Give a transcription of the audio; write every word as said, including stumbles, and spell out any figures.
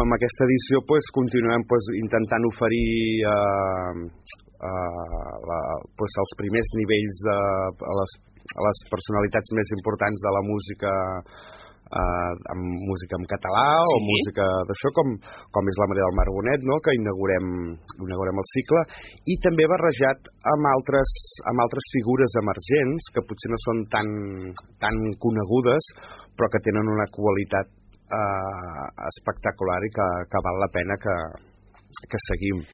amb aquesta edició pues, continuem pues, intentant oferir eh, eh, la, pues, els primers nivells de, a, les, a les personalitats més importants de la música, eh, amb música en català sí. o música d'això, com, com és la Maria del Mar Bonet, no? Que inaugurem, inaugurem el cicle, i també barrejat amb altres, amb altres figures emergents que potser no són tan, tan conegudes, però que tenen una qualitat Uh, espectacular i que, que val la pena que, que seguim.